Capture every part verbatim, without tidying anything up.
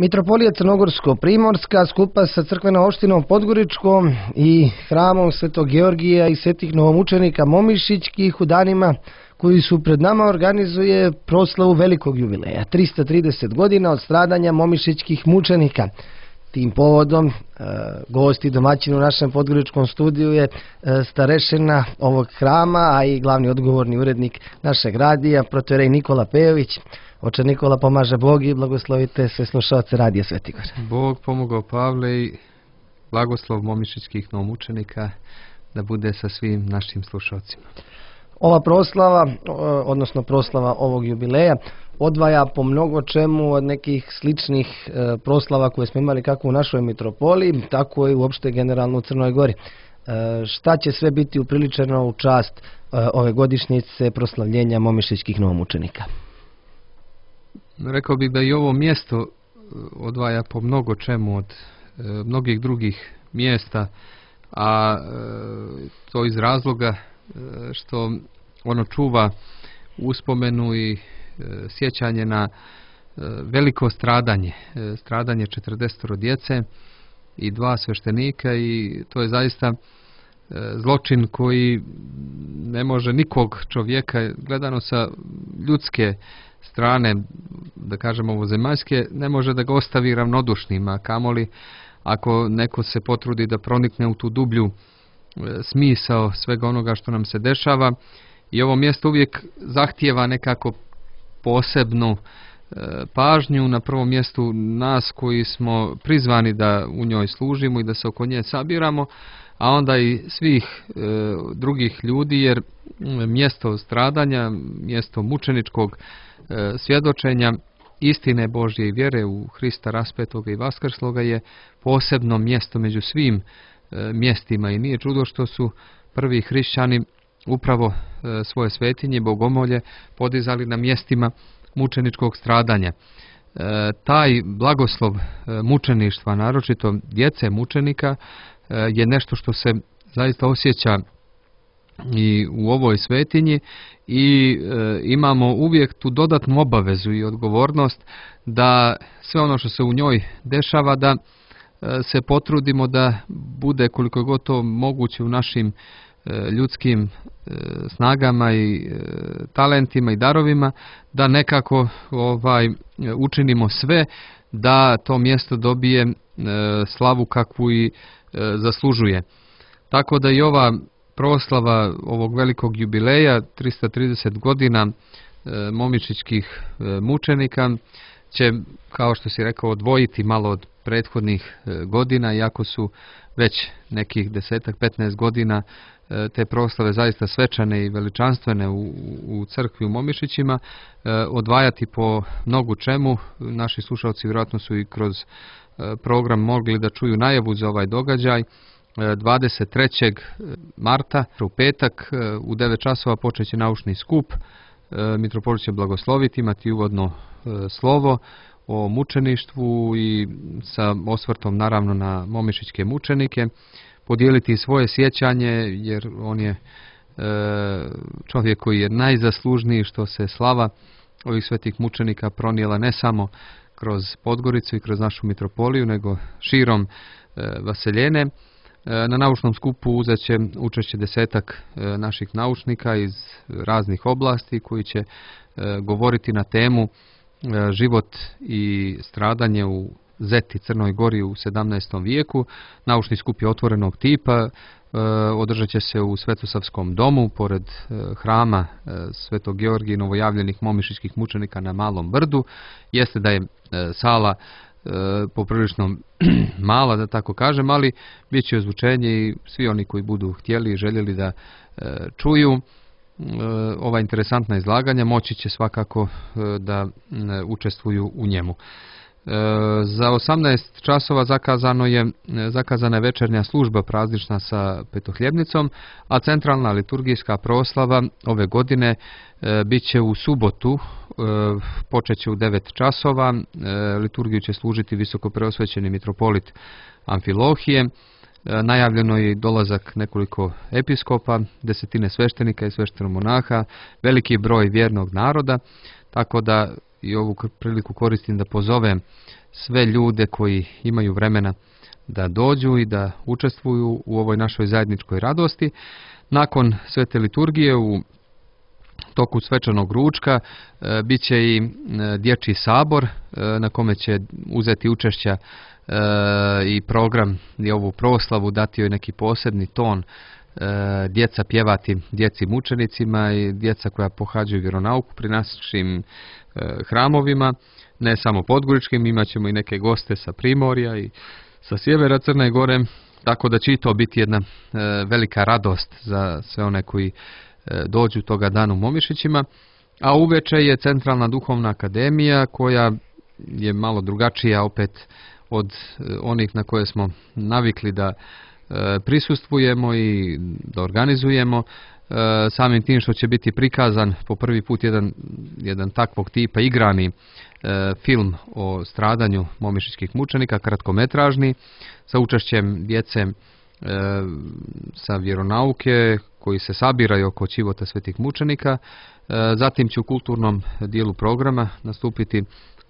Mitropolija Crnogorsko-Primorska skupa sa crkvenom opštinom Podgoričkom i hramom Svetog Georgija i svetih novomučenika Momišićkih u danima koji su pred nama organizuje proslavu velikog jubileja, trista trideset godina od stradanja momišićkih mučenika. Tim povodom e, gost i domaćin u našem podgoričkom studiju je e, starešina ovog hrama, a i glavni odgovorni urednik našeg radija, protoijerej Nikola Pejović. Oče Nikola, pomaže Bog i blagoslovite sve slušalce Radija Svetigor. Bog pomogao Pavle i blagoslov momišićkih novomučenika da bude sa svim našim slušalcima. Ova proslava, odnosno proslava ovog jubileja, odvaja po mnogo čemu od nekih sličnih e, proslava koje smo imali kako u našoj mitropoliji, tako i uopšte generalno u Crnoj Gori. E, šta će sve biti upriličeno u čast e, ove godišnjice proslavljenja momišićkih novomučenika? Rekao bih da i ovo mjesto odvaja po mnogo čemu od e, mnogih drugih mjesta, a e, to iz razloga e, što ono čuva uspomenu i e, sjećanje na e, veliko stradanje, e, stradanje četrdeset djece i dva sveštenika, i to je zaista e, zločin koji ne može nikog čovjeka, gledano sa ljudske strane, da kažemo ovozemaljske, ne može da ga ostavi ravnodušnim, a kamoli ako neko se potrudi da pronikne u tu dublju e, smisao svega onoga što nam se dešava. I ovo mjesto uvijek zahtijeva nekako posebnu e, pažnju, na prvom mjestu nas koji smo prizvani da u njoj služimo i da se oko nje sabiramo, a onda i svih e, drugih ljudi, jer mjesto stradanja, mjesto mučeničkog e, svjedočenja istine Božje i vjere u Hrista raspetoga i vaskrsloga je posebno mjesto među svim e, mjestima, i nije čudo što su prvi hrišćani upravo e, svoje svetinje, bogomolje podizali na mjestima mučeničkog stradanja. E, taj blagoslov e, mučeništva, naročito djece mučenika, e, je nešto što se zaista osjeća i u ovoj svetinji, i e, imamo uvijek tu dodatnu obavezu i odgovornost da sve ono što se u njoj dešava, da e, se potrudimo da bude koliko god to moguće u našim e, ljudskim e, snagama i e, talentima i darovima, da nekako ovaj učinimo sve da to mjesto dobije e, slavu kakvu i e, zaslužuje. Tako da i ova proslava ovog velikog jubileja, trista trideset godina e, momišićkih e, mučenika, će, kao što si rekao, odvojiti malo od prethodnih e, godina, iako su već nekih desetak, petnaest godina e, te proslave zaista svečane i veličanstvene u, u crkvi u Momišićima, e, odvajati po mnogu čemu. Naši slušalci vjerojatno su i kroz e, program mogli da čuju najavu za ovaj događaj. dvadeset trećeg marta u petak u devet časova počeće naučni skup. Mitropolit će blagosloviti, imati uvodno slovo o mučeništvu i sa osvrtom naravno na momišićke mučenike, podijeliti svoje sjećanje, jer on je čovjek koji je najzaslužniji što se slava ovih svetih mučenika pronijela ne samo kroz Podgoricu i kroz našu mitropoliju, nego širom vaseljene. Na naučnom skupu uzet će učešće desetak naših naučnika iz raznih oblasti koji će govoriti na temu život i stradanje u Zeti, Crnoj Gori u sedamnaestom vijeku. Naučni skup je otvorenog tipa, održat će se u Svetosavskom domu, pored hrama Svetog Georgija i novojavljenih momišićkih mučenika na Malom brdu. Jeste da je sala E, poprilično mala, da tako kažem, ali bit će ozvučenje i svi oni koji budu htjeli i željeli da e, čuju e, ova interesantna izlaganja moći će svakako e, da e, učestvuju u njemu. E, za osamnaest časova zakazano je, zakazana je večernja služba praznična sa petohljebnicom, a centralna liturgijska proslava ove godine e, bit će u subotu, e, počeće u devet časova. E, liturgiju će služiti visokopreosvećeni mitropolit Amfilohije. E, najavljeno je dolazak nekoliko episkopa, desetine sveštenika i sveštenomonaha, veliki broj vjernog naroda, tako da i ovu priliku koristim da pozovem sve ljude koji imaju vremena da dođu i da učestvuju u ovoj našoj zajedničkoj radosti. Nakon svete liturgije u toku svečanog ručka e, bit će i e, dječji sabor e, na kome će uzeti učešća e, i program i ovu proslavu, dati joj neki posebni ton, e, djeca pjevati djeci mučenicima i djeca koja pohađaju vjeronauku pri našim e, hramovima, ne samo podgoričkim, imat ćemo i neke goste sa Primorja i sa sjevera Crne Gore, tako da će i to biti jedna e, velika radost za sve one koji e, dođu toga dana u Momišićima. A uveče je Centralna duhovna akademija koja je malo drugačija opet od e, onih na koje smo navikli da e, prisustvujemo i da organizujemo. E, samim tim što će biti prikazan po prvi put jedan, jedan takvog tipa igrani e, film o stradanju momišićkih mučenika, kratkometražni, sa učešćem djece e, sa vjeronauke koji se sabiraju oko Ćivota svetih mučenika. E, zatim će u kulturnom dijelu programa nastupiti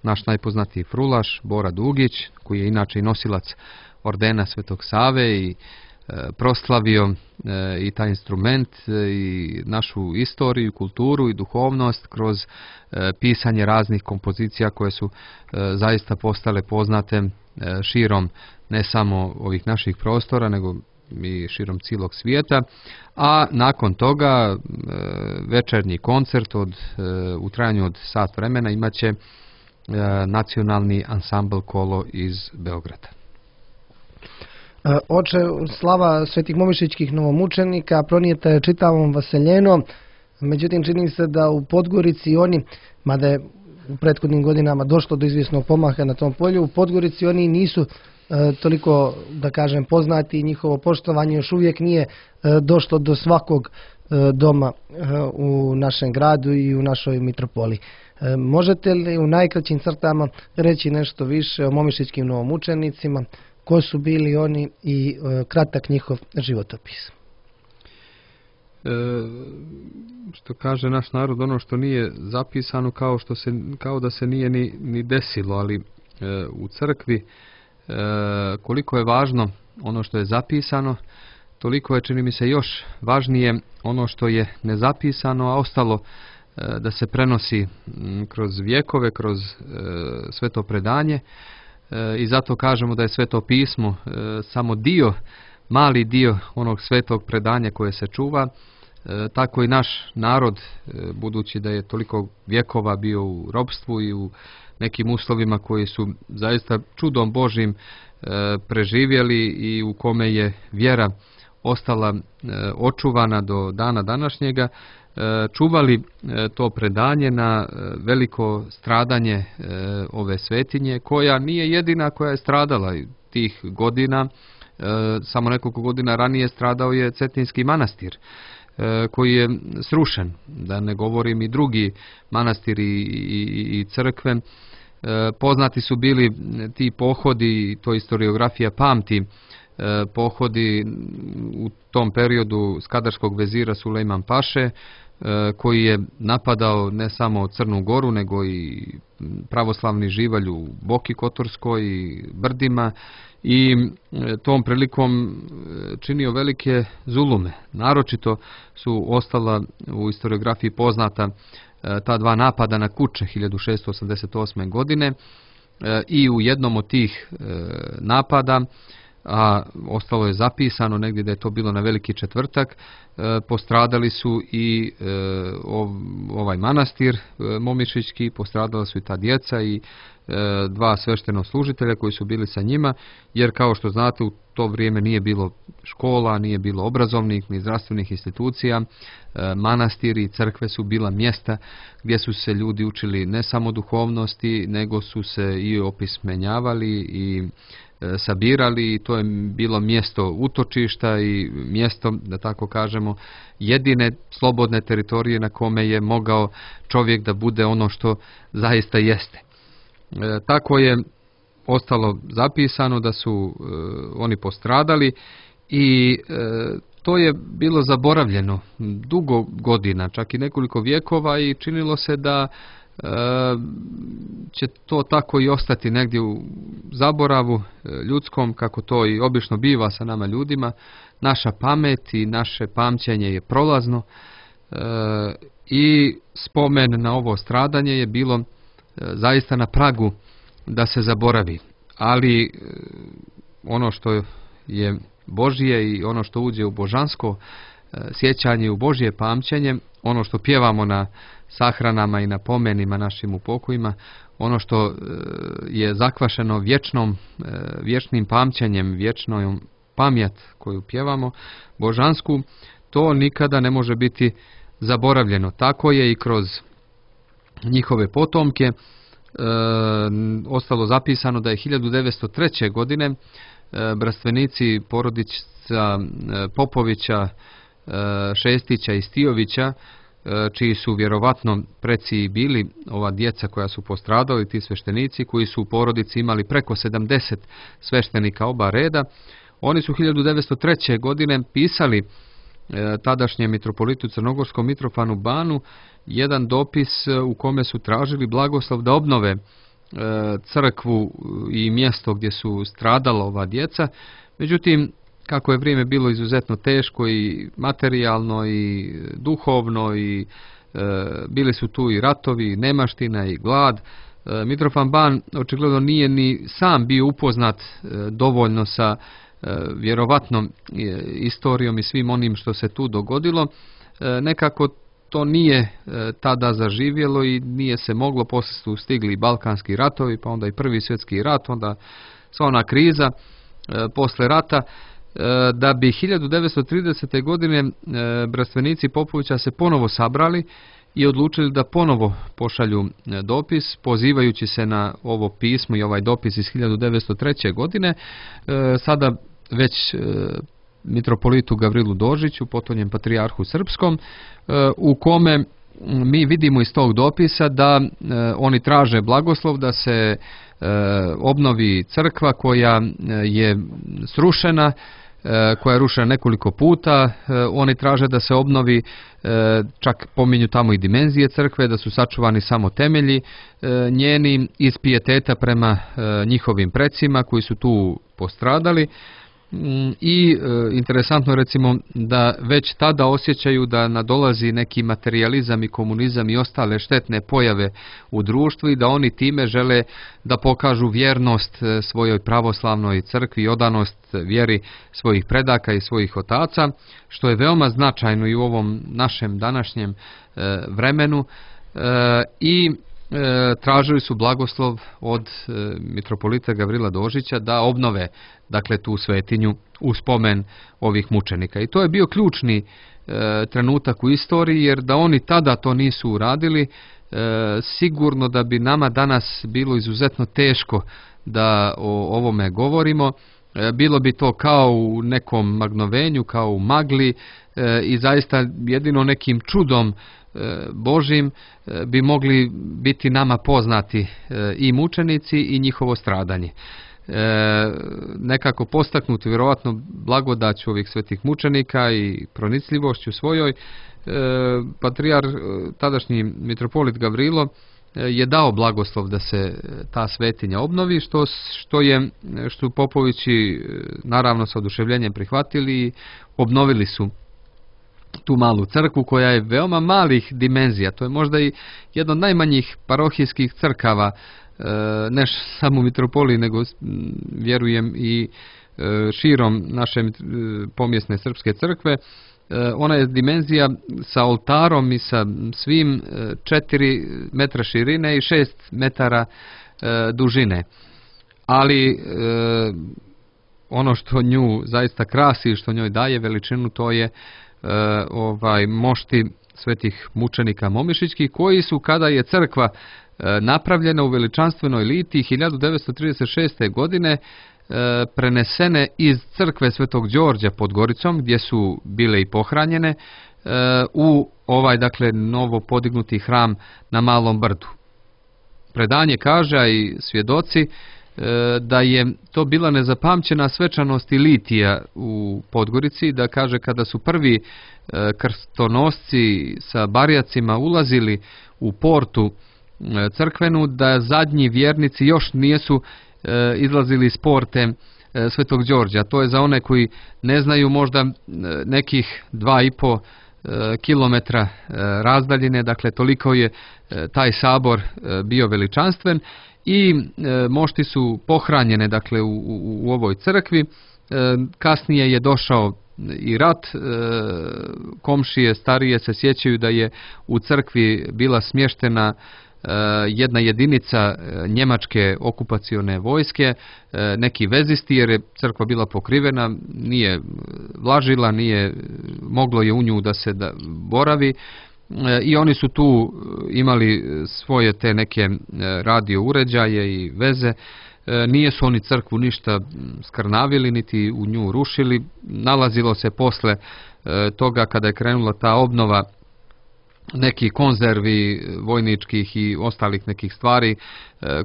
naš najpoznatiji frulaš Bora Dugić, koji je inače i nosilac ordena Svetog Save i e, proslavio e, i taj instrument e, i našu istoriju, kulturu i duhovnost kroz e, pisanje raznih kompozicija koje su e, zaista postale poznate e, širom ne samo ovih naših prostora, nego i širom cijelog svijeta. A nakon toga e, večernji koncert od, e, u trajanju od sat vremena imat će e, nacionalni ansambl Kolo iz Beograda. Oče, slava svetih momišićkih novomučenika pronijeta je čitavom Vaseljenom, međutim čini se da u Podgorici oni, mada je u prethodnim godinama došlo do izvjesnog pomaha na tom polju, u Podgorici oni nisu e, toliko, da kažem, poznati i njihovo poštovanje još uvijek nije e, došlo do svakog e, doma e, u našem gradu i u našoj mitropoli. E, možete li u najkraćim crtama reći nešto više o momišićkim novomučenicima, ko su bili oni i e, kratak njihov životopis? E, što kaže naš narod, ono što nije zapisano kao, što se, kao da se nije ni, ni desilo, ali e, u crkvi e, koliko je važno ono što je zapisano, toliko je, čini mi se, još važnije ono što je nezapisano, a ostalo e, da se prenosi m, kroz vjekove, kroz e, sveto predanje. I zato kažemo da je Sveto pismo e, samo dio, mali dio onog svetog predanja koje se čuva. E, tako i naš narod, e, budući da je toliko vjekova bio u ropstvu i u nekim uslovima koji su zaista čudom Božim e, preživjeli i u kome je vjera ostala e, očuvana do dana današnjega, čuvali to predanje na veliko stradanje ove svetinje, koja nije jedina koja je stradala tih godina. Samo nekoliko godina ranije stradao je Cetinski manastir koji je srušen, da ne govorim i drugi manastiri i, i crkve. Poznati su bili ti pohodi, to historiografija pamti, pohodi u tom periodu skadarskog vezira Sulejman Paše, koji je napadao ne samo Crnu Goru, nego i pravoslavni živalj u Boki Kotorskoj i Brdima, i tom prilikom činio velike zulume. Naročito su ostala u historiografiji poznata ta dva napada na Kuče hiljadu šesto osamdeset osme. godine i u jednom od tih napada, a ostalo je zapisano negdje da je to bilo na Veliki četvrtak, e, postradali su i e, ov, ovaj manastir e, momišićki, postradala su i ta djeca i e, dva sveštenoslужitelja koji su bili sa njima, jer kao što znate u to vrijeme nije bilo škola, nije bilo obrazovnih ni zdravstvenih institucija. E, manastiri i crkve su bila mjesta gdje su se ljudi učili ne samo duhovnosti, nego su se i opismenjavali i sabirali, i to je bilo mjesto utočišta i mjesto, da tako kažemo, jedine slobodne teritorije na kome je mogao čovjek da bude ono što zaista jeste. E, tako je ostalo zapisano da su e, oni postradali i e, to je bilo zaboravljeno dugo godina, čak i nekoliko vjekova, i činilo se da će to tako i ostati negdje u zaboravu ljudskom, kako to i obično biva sa nama ljudima. Naša pamet i naše pamćenje je prolazno i spomen na ovo stradanje je bilo zaista na pragu da se zaboravi. Ali ono što je Božje i ono što uđe u božansko sjećanje, u Božje pamćenje, ono što pjevamo na sahranama i na pomenima našim u pokojima, ono što je zakvašeno vječnom, vječnim pamćenjem, vječnom pamjat koju pjevamo, božansku, to nikada ne može biti zaboravljeno. Tako je i kroz njihove potomke e, ostalo zapisano da je hiljadu devetsto treće. godine e, brstvenici porodica e, Popovića, e, Šestića i Stijovića, e, čiji su vjerovatno preci bili ova djeca koja su postradali, ti sveštenici koji su u porodici imali preko sedamdeset sveštenika oba reda, oni su hiljadu devetsto treće. godine pisali tadašnjem mitropolitu crnogorskom Mitrofanu Banu jedan dopis u kome su tražili blagoslov da obnove crkvu i mjesto gdje su stradala ova djeca. Međutim, kako je vrijeme bilo izuzetno teško i materijalno i duhovno i e, bili su tu i ratovi, i nemaština i glad, e, Mitrofan Ban očigledno nije ni sam bio upoznat e, dovoljno sa vjerovatnom istorijom i svim onim što se tu dogodilo. Nekako to nije tada zaživjelo i nije se moglo, poslije su stigli balkanski ratovi, pa onda i prvi svjetski rat, onda sva ona kriza posle rata, da bi hiljadu devetsto tridesete. godine brstvenici Popovića se ponovo sabrali i odlučili da ponovo pošalju dopis, pozivajući se na ovo pismo i ovaj dopis iz hiljadu devetsto treće. godine, sada već e, mitropolitu Gavrilu Dožiću, potonjem patrijarhu srpskom, e, u kome mi vidimo iz tog dopisa da e, oni traže blagoslov da se e, obnovi crkva koja je srušena, e, koja je rušena nekoliko puta. E, oni traže da se obnovi, e, čak pominju tamo i dimenzije crkve, da su sačuvani samo temelji e, njeni iz pijeteta prema e, njihovim precima koji su tu postradali. I e, interesantno recimo da već tada osjećaju da nadolazi neki materijalizam i komunizam i ostale štetne pojave u društvu i da oni time žele da pokažu vjernost svojoj pravoslavnoj crkvi i odanost vjeri svojih predaka i svojih otaca, što je veoma značajno i u ovom našem današnjem e, vremenu e, i E, tražili su blagoslov od e, mitropolita Gavrila Dožića da obnove dakle tu svetinju u spomen ovih mučenika. I to je bio ključni e, trenutak u istoriji, jer da oni tada to nisu uradili, e, sigurno da bi nama danas bilo izuzetno teško da o ovome govorimo. E, bilo bi to kao u nekom magnovenju, kao u magli e, i zaista jedino nekim čudom Božim bi mogli biti nama poznati i mučenici i njihovo stradanje. E, nekako postaknuti vjerovatno blagodaću ovih svetih mučenika i pronicljivošću svojoj, e, patrijar, tadašnji mitropolit Gavrilo je dao blagoslov da se ta svetinja obnovi, što, što je što su Popovići naravno sa oduševljenjem prihvatili i obnovili su tu malu crkvu koja je veoma malih dimenzija. To je možda i jedna od najmanjih parohijskih crkava, ne samo u mitropoliji, nego vjerujem i širom naše pomjesne srpske crkve. Ona je dimenzija sa oltarom i sa svim četiri metra širine i šest metara dužine. Ali ono što nju zaista krasi i što njoj daje veličinu, to je Uh, ovaj mošti svetih mučenika momišićkih, koji su, kada je crkva uh, napravljena u veličanstvenoj litiji hiljadu devetsto trideset šeste. godine, uh, prenesene iz crkve Svetog Đorđa pod Goricom, gdje su bile i pohranjene, uh, u ovaj dakle novo podignuti hram na Malom Brdu. Predanje kaže, a i svjedoci, da je to bila nezapamćena svečanost i litija u Podgorici, da kaže kada su prvi krstonosci sa barjacima ulazili u portu crkvenu, da zadnji vjernici još nisu izlazili iz porte Svetog Đorđa. To je za one koji ne znaju možda nekih dva i po kilometra razdaljine, dakle toliko je taj sabor bio veličanstven i mošti su pohranjene dakle u, u, u ovoj crkvi. Kasnije je došao i rat, komšije starije se sjećaju da je u crkvi bila smještena jedna jedinica njemačke okupacione vojske, neki vezisti, jer je crkva bila pokrivena, nije vlažila, nije moglo je u nju da se da boravi, i oni su tu imali svoje te neke radio uređaje i veze. Nije su oni crkvu ništa skrnavili, niti u nju rušili. Nalazilo se posle toga, kada je krenula ta obnova, neki konzervi vojničkih i ostalih nekih stvari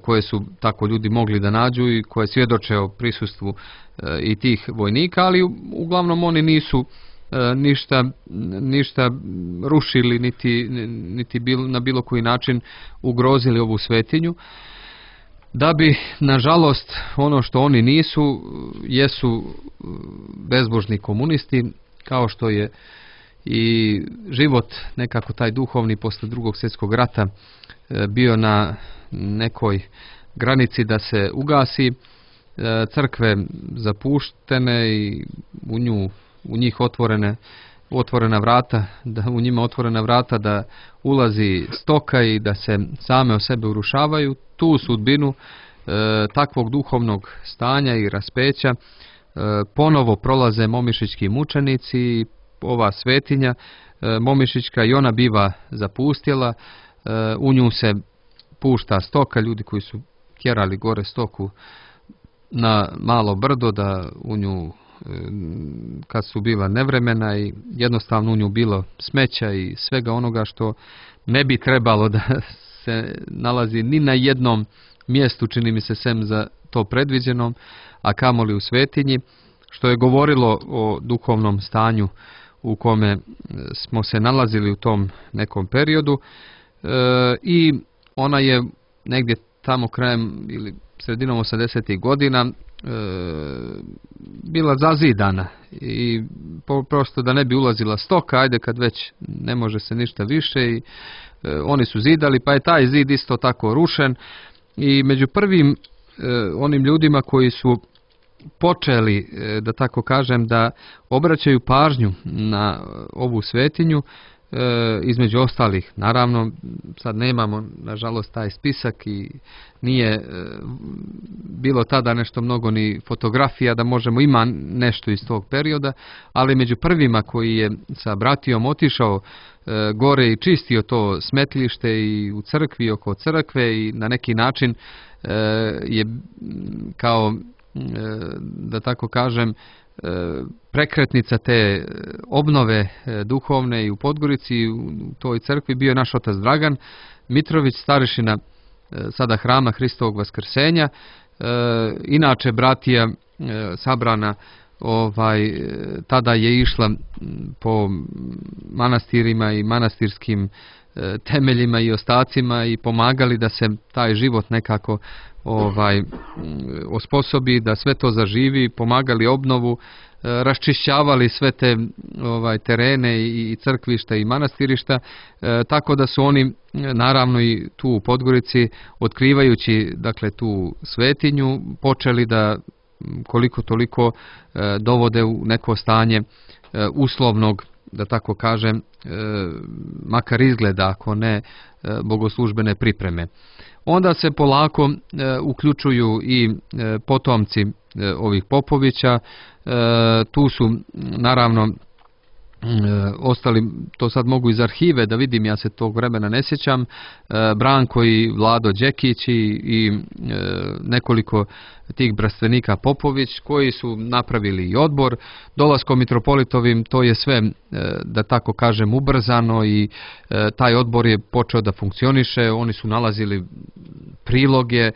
koje su tako ljudi mogli da nađu i koje svjedoče o prisustvu i tih vojnika, ali uglavnom oni nisu ništa, ništa rušili, niti, niti bil, na bilo koji način ugrozili ovu svetinju. Da bi, nažalost, ono što oni nisu, jesu bezbožni komunisti, kao što je i život nekako taj duhovni posle Drugog svjetskog rata bio na nekoj granici da se ugasi, crkve zapuštene i u nju, u njih otvorene otvorena vrata, da u njima otvorena vrata da ulazi stoka i da se same o sebe urušavaju. Tu sudbinu e, takvog duhovnog stanja i raspeća e, ponovo prolaze momišićki mučenici i ova svetinja e, momišićka i ona biva zapustjela, e, u nju se pušta stoka, ljudi koji su tjerali gore stoku na malo brdo da u nju, kad su bila nevremena i jednostavno u nju bilo smeća i svega onoga što ne bi trebalo da se nalazi ni na jednom mjestu, čini mi se, sem za to predviđenom, a kamoli u svetinji, što je govorilo o duhovnom stanju u kome smo se nalazili u tom nekom periodu. E, i ona je negdje tamo krajem ili sredinom osamdesetih godina e, bila zazidana i po, prosto da ne bi ulazila stoka, ajde kad već ne može se ništa više, i e, oni su zidali, pa je taj zid isto tako rušen. I među prvim e, onim ljudima koji su počeli, e, da tako kažem, da obraćaju pažnju na ovu svetinju, E, između ostalih, naravno sad nemamo nažalost taj spisak i nije e, bilo tada nešto mnogo ni fotografija da možemo, ima nešto iz tog perioda, ali među prvima koji je sa bratijom otišao e, gore i čistio to smetlište i u crkvi, oko crkve, i na neki način e, je kao e, da tako kažem prekretnica te obnove duhovne i u Podgorici, u toj crkvi, bio je naš otac Dragan Mitrović, starešina sada Hrama Hristovog Vaskrsenja. Inače bratija sabrana ovaj, tada je išla po manastirima i manastirskim temeljima i ostacima i pomagali da se taj život nekako ovaj osposobi, da sve to zaživi, pomagali obnovu, raščišćavali sve te ovaj terene i crkvišta i manastirišta, e, tako da su oni naravno i tu u Podgorici, otkrivajući dakle tu svetinju, počeli da koliko toliko e, dovode u neko stanje e, uslovnog, da tako kažem, e, makar izgleda, ako ne e, bogoslužbene pripreme. Onda se polako e, uključuju i e, potomci e, ovih Popovića. E, tu su naravno e, ostali, to sad mogu iz arhive da vidim, ja se tog vremena ne sjećam, e, Branko i Vlado Đekić i, i e, nekoliko tih bratstvenika Popović koji su napravili i odbor. Dolaskom mitropolitovim to je sve, e, da tako kažem, ubrzano i e, taj odbor je počeo da funkcioniše. Oni su nalazili priloge, e,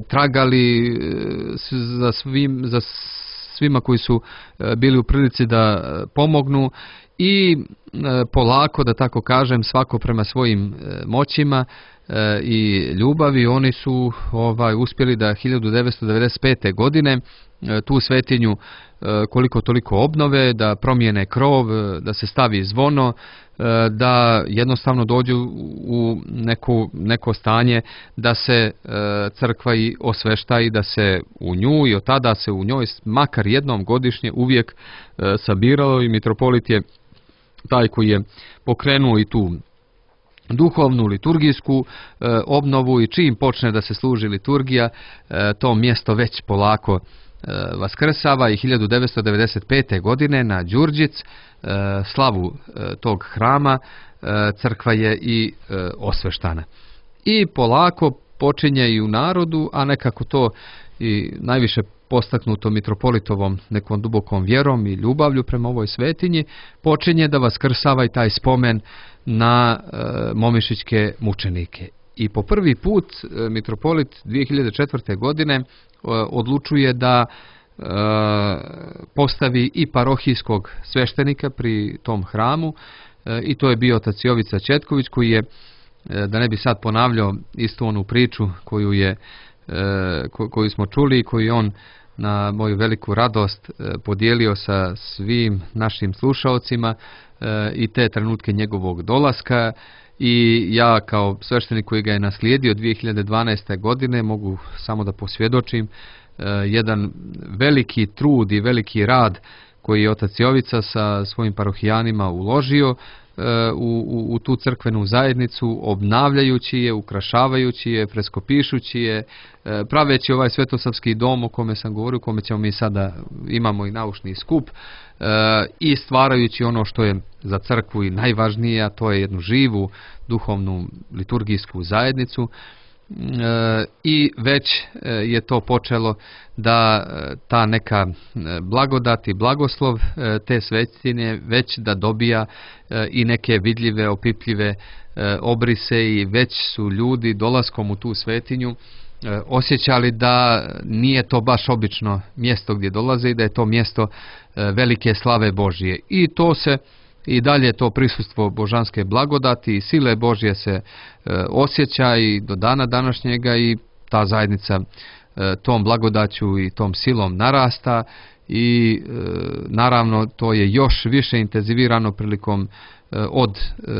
tragali e, za svim, za svima koji su bili u prilici da pomognu i polako, da tako kažem, svako prema svojim moćima i ljubavi, oni su ovaj uspjeli da hiljadu devetsto devedeset pete. godine tu svetinju koliko toliko obnove, da promijene krov, da se stavi zvono, da jednostavno dođu u neku, neko stanje da se crkva i osvešta i da se u nju i od tada se u njoj makar jednom godišnje uvijek sabiralo i mitropolit je taj koji je pokrenuo i tu duhovnu, liturgijsku e, obnovu i čim počne da se služi liturgija, e, to mjesto već polako e, vaskrsava i hiljadu devetsto devedeset pete. godine na Đurđic, e, slavu e, tog hrama, e, crkva je i e, osveštana. I polako počinje i u narodu, a nekako to i najviše postaknuto mitropolitovom nekom dubokom vjerom i ljubavlju prema ovoj svetinji, počinje da vaskrsava i taj spomen na e, momišićke mučenike. I po prvi put e, mitropolit dvije hiljade četvrte. godine e, odlučuje da e, postavi i parohijskog sveštenika pri tom hramu e, i to je bio otac Jovica Četković, koji je, e, da ne bi sad ponavljao istu onu priču koju je e, ko, koju smo čuli i koju on na moju veliku radost e, podijelio sa svim našim slušaocima e, i te trenutke njegovog dolaska, i ja kao sveštenik koji ga je naslijedio dvije hiljade dvanaeste. godine mogu samo da posvjedočim e, jedan veliki trud i veliki rad koji je otac Jovica sa svojim parohijanima uložio U, u, u tu crkvenu zajednicu, obnavljajući je, ukrašavajući je, freskopišući je, praveći ovaj svetosavski dom o kome sam govorio, u kome ćemo mi sada imamo i naučni skup, i stvarajući ono što je za crkvu i najvažnije, a to je jednu živu duhovnu liturgijsku zajednicu. I već je to počelo da ta neka blagodat i blagoslov te svetinje već da dobija i neke vidljive, opipljive obrise, i već su ljudi dolaskom u tu svetinju osjećali da nije to baš obično mjesto gdje dolaze i da je to mjesto velike slave Božije. I to se i dalje to prisustvo božanske blagodati i sile Božje se e, osjeća i do dana današnjega, i ta zajednica e, tom blagodaću i tom silom narasta i e, naravno to je još više intenzivirano prilikom e, od e,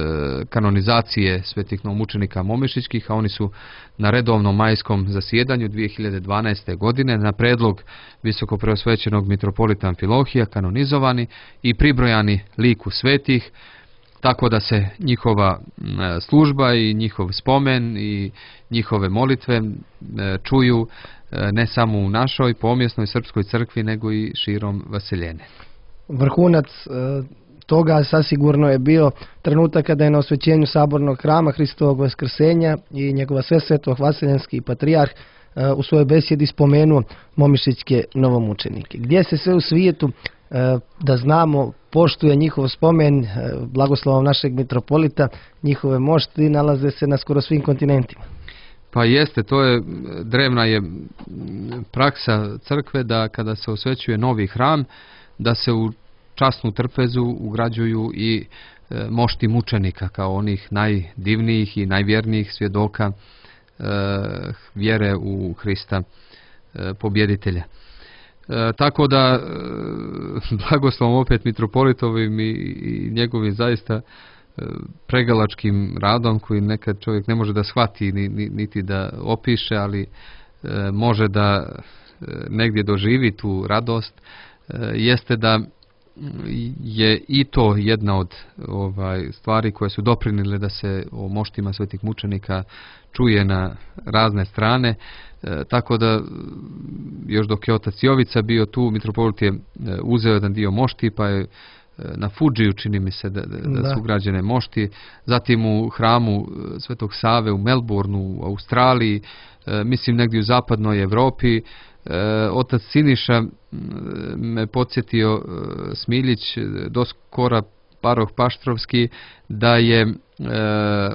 kanonizacije svetih novomučenika momišićkih, a oni su na redovnom majskom zasjedanju dvije hiljade dvanaeste. godine na predlog visokopreosvećenog mitropolita Amfilohija kanonizovani i pribrojani liku svetih, tako da se njihova služba i njihov spomen i njihove molitve čuju ne samo u našoj pomjesnoj srpskoj crkvi, nego i širom vaseljene. Vrhunac toga sasigurno je bio trenutak kada je na osvećenju sabornog hrama Hristovog vaskrsenja i njegova svesvetog vaseljenski patrijarh u svojoj besjedi spomenuo momišićke novomučenike. Gdje se sve u svijetu, da znamo, poštuje njihov spomen blagoslovom našeg mitropolita, njihove mošti nalaze se na skoro svim kontinentima. Pa jeste, to je drevna je praksa crkve da kada se osvećuje novi hram, da se u časnu trpezu ugrađuju i e, mošti mučenika kao onih najdivnijih i najvjernijih svjedoka e, vjere u Hrista e, pobjeditelja. E, tako da e, blagoslovom opet mitropolitovim i, i njegovim zaista e, pregalačkim radom koji nekad čovjek ne može da shvati ni, ni, niti da opiše, ali e, može da e, negdje doživi tu radost, e, jeste da je i to jedna od ovaj stvari koje su doprinile da se o moštima svetih mučenika čuje na razne strane, e, tako da još dok je otac Jovica bio tu, mitropolit je uzeo jedan dio mošti, pa je na Fudžiju, čini mi se da, da, da su ugrađene mošti, zatim u hramu Svetog Save u Melbourneu, u Australiji, e, mislim negdje u zapadnoj Evropi. E, otac Siniša me podsjetio, e, Smiljić, doskora paroh Paštrovski, da je e,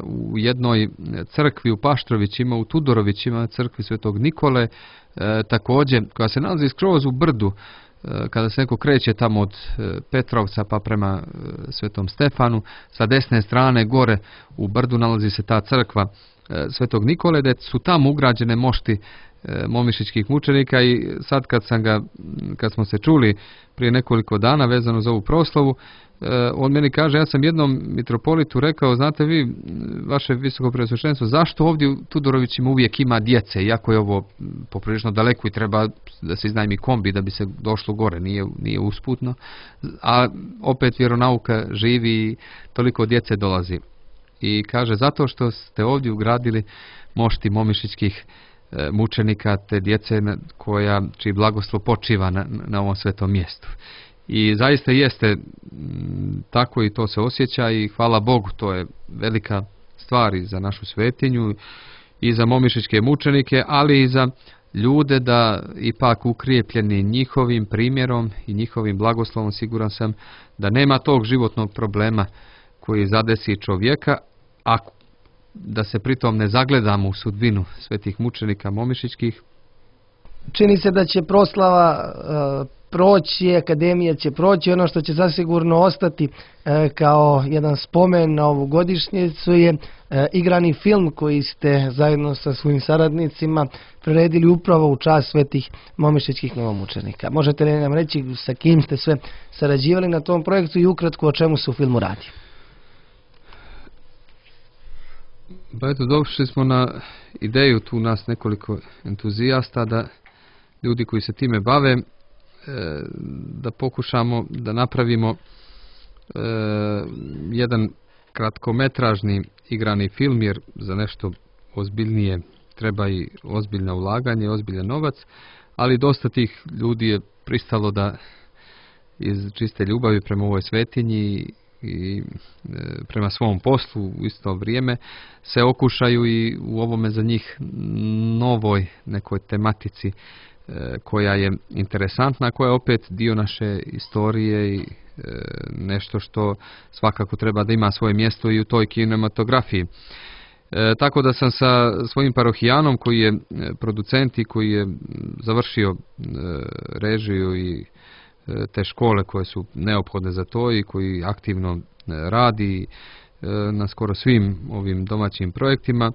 u jednoj crkvi u Paštrovićima, u Tudorovićima, crkvi Svetog Nikole, e, također, koja se nalazi skroz u brdu kada se neko kreće tamo od Petrovca pa prema Svetom Stefanu, sa desne strane gore u brdu nalazi se ta crkva Svetog Nikole, da su tamo ugrađene mošti momišićkih mučenika. I sad kad sam ga, kad smo se čuli prije nekoliko dana vezano za ovu proslavu, on meni kaže, ja sam jednom mitropolitu rekao, znate vi, vaše visoko preosveštenstvo, zašto ovdje u Tudorovićima uvijek ima djece, iako je ovo poprilično daleko i treba da se iznajmi kombi da bi se došlo gore, nije, nije usputno, a opet vjeronauka živi i toliko djece dolazi. I kaže, zato što ste ovdje ugradili mošti momišićkih mučenika, te djece koja, čiji blagoslov počiva na, na ovom svetom mjestu. I zaista jeste tako i to se osjeća i hvala Bogu, to je velika stvar i za našu svetinju i za momišićke mučenike, ali i za ljude da ipak ukrijepljeni njihovim primjerom i njihovim blagoslovom, siguran sam da nema tog životnog problema koji zadesi čovjeka, a da se pritom ne zagledamo u sudbinu svetih mučenika momišićkih. Čini se da će proslava uh, proći, akademija će proći, ono što će zasigurno ostati e, kao jedan spomen na ovu godišnjicu je e, igrani film koji ste zajedno sa svojim saradnicima priredili upravo u čast svetih momišićkih novomučenika. Možete li nam reći sa kim ste sve sarađivali na tom projektu i ukratko o čemu se u filmu radi? Ba eto, došli smo na ideju tu nas nekoliko entuzijasta, da ljudi koji se time bave, da pokušamo da napravimo e, jedan kratkometražni igrani film, jer za nešto ozbiljnije treba i ozbiljno ulaganje, ozbiljan novac, ali dosta tih ljudi je pristalo da iz čiste ljubavi prema ovoj svetinji i e, prema svom poslu u isto vrijeme se okušaju i u ovome za njih novoj nekoj tematici koja je interesantna, koja je opet dio naše istorije i e, nešto što svakako treba da ima svoje mjesto i u toj kinematografiji. E, tako da sam sa svojim parohijanom koji je producent i koji je završio e, režiju i e, te škole koje su neophodne za to i koji aktivno e, radi e, na skoro svim ovim domaćim projektima,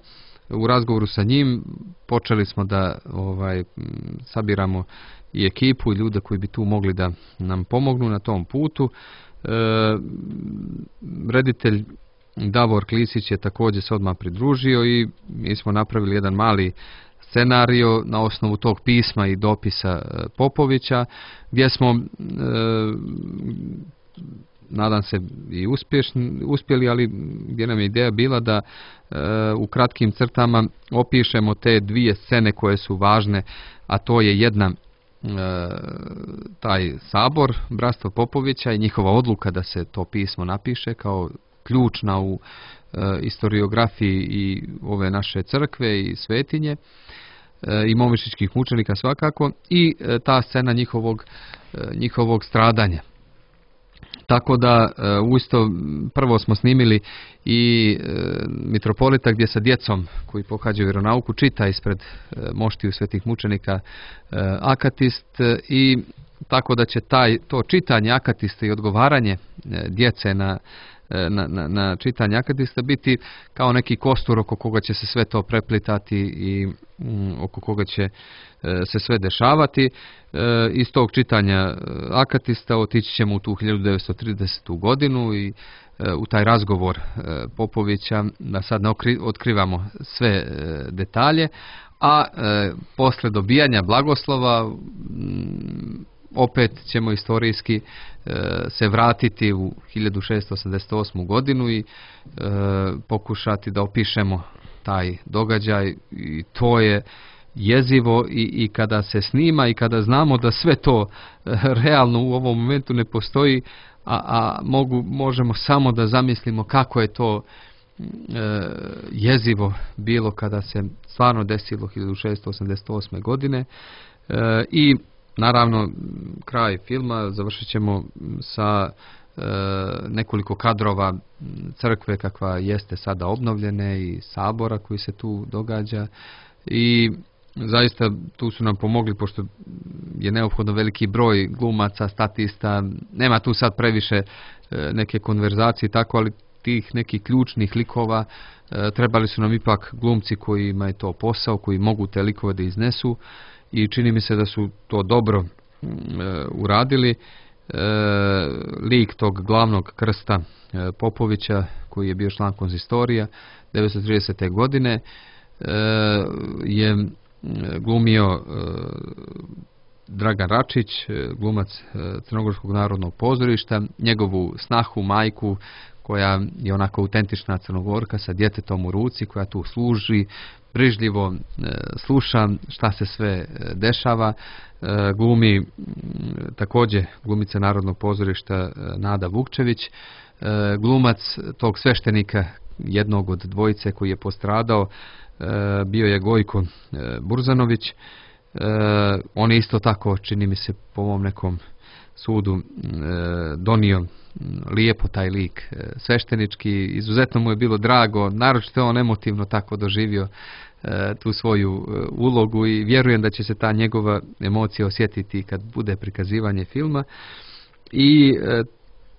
u razgovoru sa njim počeli smo da ovaj sabiramo i ekipu i ljude koji bi tu mogli da nam pomognu na tom putu. E, reditelj Davor Klisić je također se odmah pridružio i mi smo napravili jedan mali scenario na osnovu tog pisma i dopisa Popovića, gdje smo e, nadam se i uspješni, uspjeli, ali gdje nam je ideja bila da e, u kratkim crtama opišemo te dvije scene koje su važne, a to je jedna e, taj sabor Bratstva Popovića i njihova odluka da se to pismo napiše kao ključna u e, historiografiji i ove naše crkve i svetinje e, i momišićkih mučenika svakako, i e, ta scena njihovog, e, njihovog stradanja. Tako da uisto prvo smo snimili i e, mitropolita gdje sa djecom koji pohađaju vjeronauku čita ispred e, moštiju svetih mučenika e, akatist, e, i tako da će taj, to čitanje akatista i odgovaranje e, djece na, e, na, na, na čitanje akatista biti kao neki kostur oko koga će se sve to preplitati i mm, oko koga će e, se sve dešavati. E, iz tog čitanja akatista otići ćemo u tu hiljadu devetsto tridesetu godinu i e, u taj razgovor e, Popovića, da sad ne otkrivamo sve e, detalje, a e, posle dobijanja blagoslova m, opet ćemo istorijski e, se vratiti u hiljadu šessto osamdeset osmu godinu i e, pokušati da opišemo taj događaj, i to je jezivo i, i kada se snima i kada znamo da sve to e, realno u ovom momentu ne postoji, a, a mogu, možemo samo da zamislimo kako je to e, jezivo bilo kada se stvarno desilo hiljadu šessto osamdeset osme godine. E, i naravno kraj filma završit ćemo sa e, nekoliko kadrova crkve kakva jeste sada obnovljene i sabora koji se tu događa, i zaista tu su nam pomogli, pošto je neophodno veliki broj glumaca, statista, nema tu sad previše neke konverzacije tako, ali tih nekih ključnih likova trebali su nam ipak glumci kojima je to posao, koji mogu te likove da iznesu, i čini mi se da su to dobro uradili. Lik tog glavnog Krsta Popovića, koji je bio član konzistorija devetsto tridesete. godine, je glumio Dragan Račić, glumac Crnogorskog narodnog pozorišta, njegovu snahu, majku, koja je onako autentična Crnogorka sa djetetom u ruci, koja tu služi, brižljivo sluša šta se sve dešava. Glumi također glumica Narodnog pozorišta Nada Vukčević, glumac tog sveštenika, jednog od dvojice koji je postradao, bio je Gojko Burzanović. On je isto tako, čini mi se, po mom nekom sudu donio lijepo taj lik sveštenički. Izuzetno mu je bilo drago, naročito je on emotivno tako doživio tu svoju ulogu, i vjerujem da će se ta njegova emocija osjetiti kad bude prikazivanje filma. I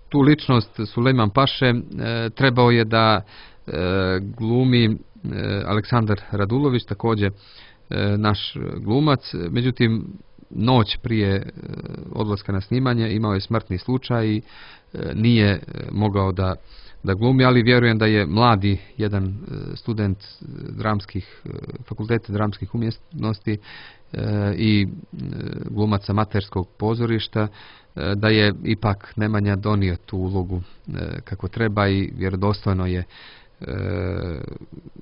tu ličnost Sulejman Paše trebao je da glumi Aleksandar Radulović, također naš glumac. Međutim, noć prije odlaska na snimanje imao je smrtni slučaj i nije mogao da, da glumi, ali vjerujem da je mladi jedan student dramskih, fakulteta dramskih umjetnosti i glumac amaterskog pozorišta, da je ipak Nemanja donio tu ulogu kako treba i vjerodostojno je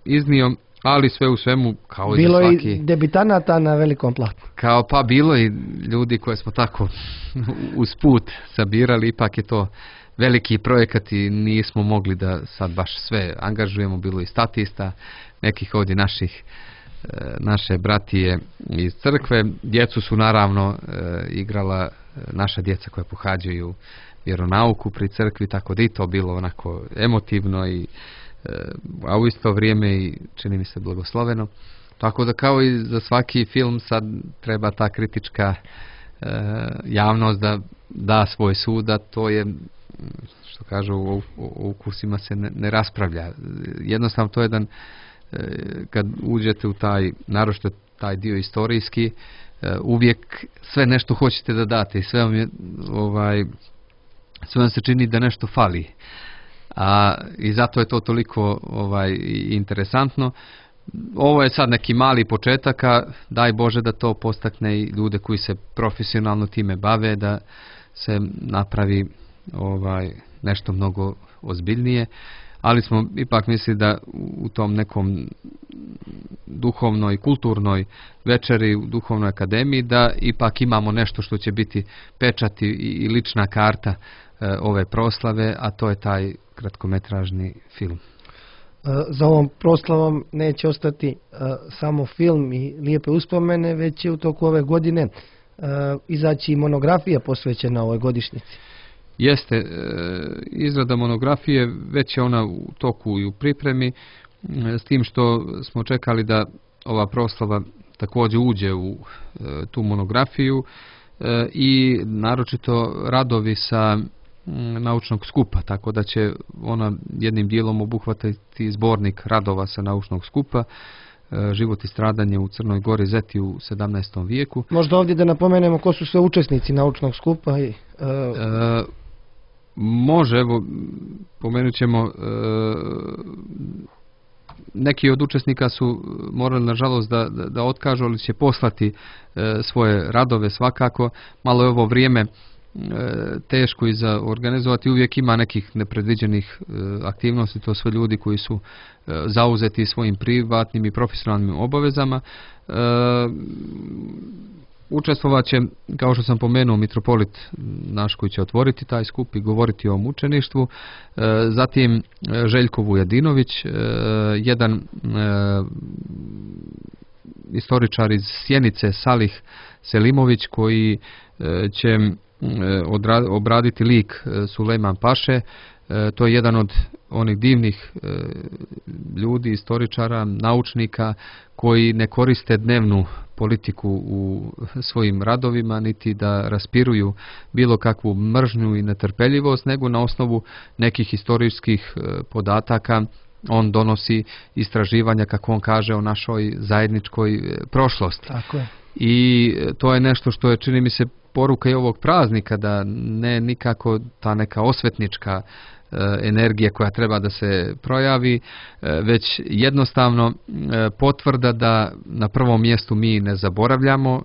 iznio. Ali sve u svemu, kao bilo i za svaki... Bilo i debitanata na velikom platnu. Kao pa bilo i ljudi koje smo tako usput sabirali, ipak je to veliki projekat i nismo mogli da sad baš sve angažujemo, bilo i statista, nekih ovdje naših, naše bratije iz crkve. Djecu su naravno igrala naša djeca koja pohađaju vjeronauku pri crkvi, tako da i to bilo onako emotivno, i a u isto vrijeme i čini mi se blagosloveno. Tako da kao i za svaki film sad treba ta kritička e, javnost da da svoj sud, a to je, što kažu, o, o ukusima se ne, ne raspravlja. Jednostavno to je jedan, e, kad uđete u taj, naročito taj dio istorijski, e, uvijek sve nešto hoćete da date i sve vam je, ovaj, sve vam se čini da nešto fali. A, i zato je to toliko ovaj, interesantno. Ovo je sad neki mali početak, a daj Bože da to postakne i ljude koji se profesionalno time bave, da se napravi ovaj, nešto mnogo ozbiljnije, ali smo ipak mislili da u tom nekom duhovnoj, kulturnoj večeri u Duhovnoj akademiji da ipak imamo nešto što će biti pečat i lična karta ove proslave, a to je taj kratkometražni film. Za ovom proslavom neće ostati uh, samo film i lijepe uspomene, već će u toku ove godine uh, izaći i monografija posvećena ovoj godišnjici. Jeste, uh, izrada monografije već je ona u toku i u pripremi, uh, s tim što smo čekali da ova proslava također uđe u uh, tu monografiju uh, i naročito radovi sa naučnog skupa, tako da će ona jednim dijelom obuhvatiti zbornik radova sa naučnog skupa, život i stradanje u Crnoj Gori Zeti u sedamnaestom vijeku. Možda ovdje da napomenemo ko su sve učesnici naučnog skupa. I, uh... e, može, evo, pomenut ćemo, e, neki od učesnika su morali nažalost da, da, da otkažu, ali će poslati e, svoje radove svakako. Malo je ovo vrijeme teško i za organizovati, uvijek ima nekih nepredviđenih aktivnosti, to sve ljudi koji su zauzeti svojim privatnim i profesionalnim obavezama. Učestvovat će, kao što sam pomenuo, mitropolit naš koji će otvoriti taj skup i govoriti o mučeništvu, zatim Željko Vujadinović, jedan istoričar iz Sjenice, Salih Selimović, koji će obraditi lik Sulejman Paše, To je jedan od onih divnih ljudi, istoričara, naučnika koji ne koriste dnevnu politiku u svojim radovima, niti da raspiruju bilo kakvu mržnju i netrpeljivost, nego na osnovu nekih historijskih podataka on donosi istraživanja, kako on kaže, o našoj zajedničkoj prošlosti. Tako je. I to je nešto što je, čini mi se, poruka i ovog praznika, da ne nikako ta neka osvetnička energija koja treba da se projavi, već jednostavno potvrda da na prvom mjestu mi ne zaboravljamo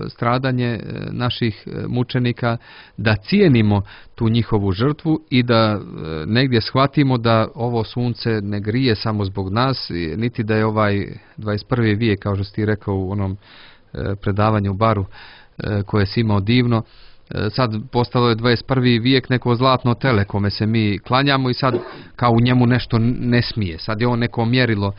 stradanje naših mučenika, da cijenimo tu njihovu žrtvu i da negdje shvatimo da ovo sunce ne grije samo zbog nas, niti da je ovaj dvadeset prvi vijek, kao što si ti rekao u onom predavanju u baru koje si imao divno, sad postalo je dvadeset prvi vijek neko zlatno tele kome se mi klanjamo i sad kao u njemu nešto ne smije. Sad je on neko mjerilo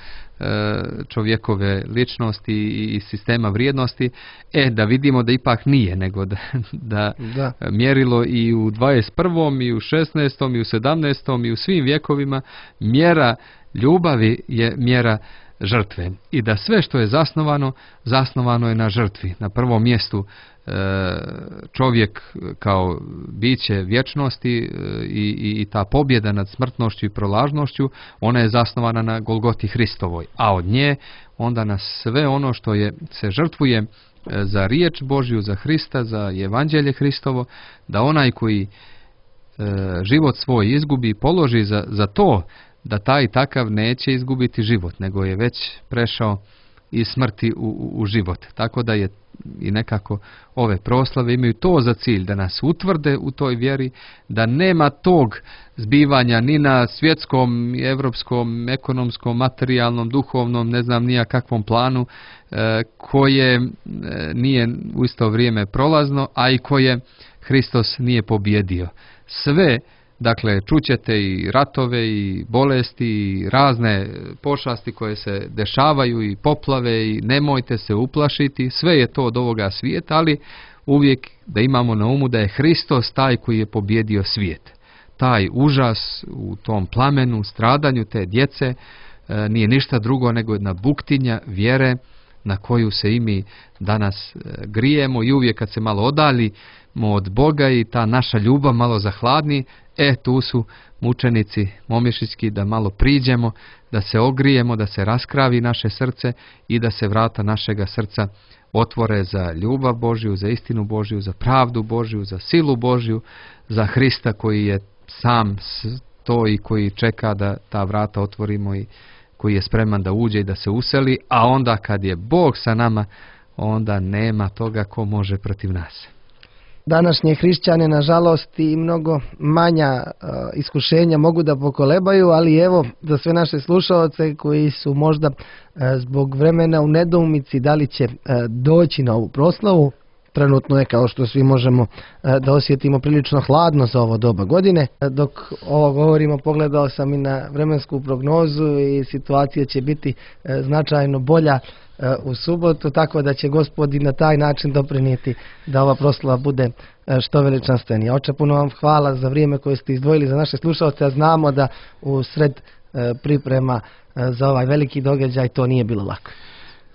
čovjekove ličnosti i sistema vrijednosti. E, da vidimo da ipak nije, nego da, da, da. mjerilo i u dvadeset prvom i u šesnaestom i u sedamnaestom i u svim vjekovima mjera ljubavi je mjera žrtve. I da sve što je zasnovano, zasnovano je na žrtvi. Na prvom mjestu čovjek kao biće vječnosti i, i, i ta pobjeda nad smrtnošću i prolažnošću, ona je zasnovana na Golgoti Hristovoj, a od nje onda na sve ono što je se žrtvuje za riječ Božju, za Hrista, za evanđelje Hristovo, da onaj koji e, život svoj izgubi, položi za, za to da taj takav neće izgubiti život, nego je već prešao iz smrti u, u, u život. Tako da je i nekako ove proslave imaju to za cilj, da nas utvrde u toj vjeri, da nema tog zbivanja ni na svjetskom, evropskom, ekonomskom, materijalnom, duhovnom, ne znam nija kakvom planu, e, koje e, nije u isto vrijeme prolazno, a i koje Hristos nije pobjedio. Sve, dakle, čućete i ratove i bolesti i razne pošasti koje se dešavaju i poplave i nemojte se uplašiti, sve je to od ovoga svijeta, ali uvijek da imamo na umu da je Hristos taj koji je pobjedio svijet. Taj užas u tom plamenu, stradanju te djece e, nije ništa drugo nego jedna buktinja vjere na koju se i mi danas e, grijemo i uvijek kad se malo odaljimo od Boga i ta naša ljubav malo zahladni, e tu su mučenici momišićki, da malo priđemo, da se ogrijemo, da se raskravi naše srce i da se vrata našega srca otvore za ljubav Božju, za istinu Božju, za pravdu Božju, za silu Božju, za Hrista koji je sam to i koji čeka da ta vrata otvorimo i koji je spreman da uđe i da se useli, a onda kad je Bog sa nama, onda nema toga ko može protiv nas. Današnje hrišćane, nažalost, i mnogo manja uh, iskušenja mogu da pokolebaju, ali evo, za sve naše slušaoce koji su možda uh, zbog vremena u nedoumici da li će uh, doći na ovu proslavu, trenutno je, kao što svi možemo uh, da osjetimo, prilično hladno za ovo doba godine. Uh, dok ovo govorimo, pogledao sam i na vremensku prognozu i situacija će biti uh, značajno bolja u subotu, tako da će Gospod i na taj način doprinijeti da ova proslava bude što veličanstvenija. Oče, puno vam hvala za vrijeme koje ste izdvojili za naše slušalce, a znamo da u sred priprema za ovaj veliki događaj to nije bilo lako.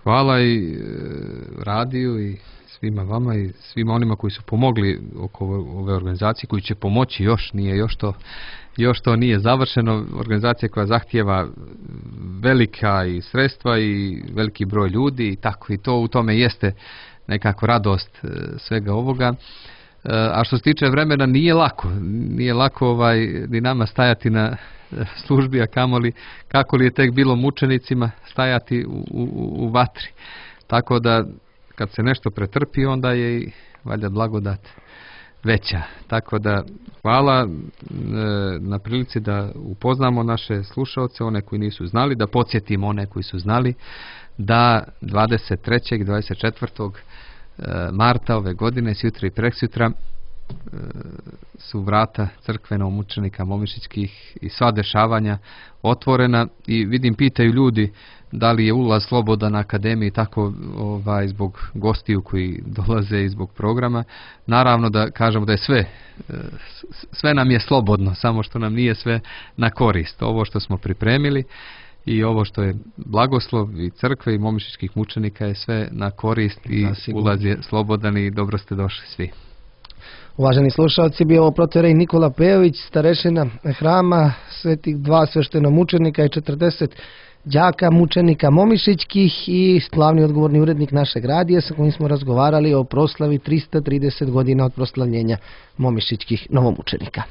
Hvala i radiju i svima vama i svima onima koji su pomogli oko ove organizacije, koji će pomoći još, nije još to još to nije završeno, organizacija koja zahtijeva velika i sredstva i veliki broj ljudi i tako, i to u tome jeste nekako radost svega ovoga. A što se tiče vremena, nije lako, nije lako ovaj, ni nama stajati na službi, a kamoli kako li je tek bilo mučenicima stajati u, u, u vatri. Tako da kad se nešto pretrpi, onda je i valjda blagodat veća. Tako da hvala e, na prilici da upoznamo naše slušaoce, one koji nisu znali, da podsjetimo one koji su znali, da dvadeset trećeg i dvadeset četvrtog marta ove godine, sjutra i preksutra, su vrata crkve novomučenika momišićkih i sva dešavanja otvorena i vidim pitaju ljudi da li je ulaz slobodan na akademiji tako ovaj, zbog gostiju koji dolaze i zbog programa. Naravno da kažemo da je sve, sve nam je slobodno, samo što nam nije sve na korist. Ovo što smo pripremili i ovo što je blagoslov i crkve i momišićkih mučenika je sve na korist i Zasigurno. ulaz je slobodan i dobro ste došli svi. Uvaženi slušalci, bio ovo protorej Nikola Pejović, starešina hrama svetih dva sveštenomučenika i četrdeset đaka mučenika momišićkih i glavni odgovorni urednik našeg radija sa kojim smo razgovarali o proslavi trista trideset godina od proslavljenja momišićkih novomučenika.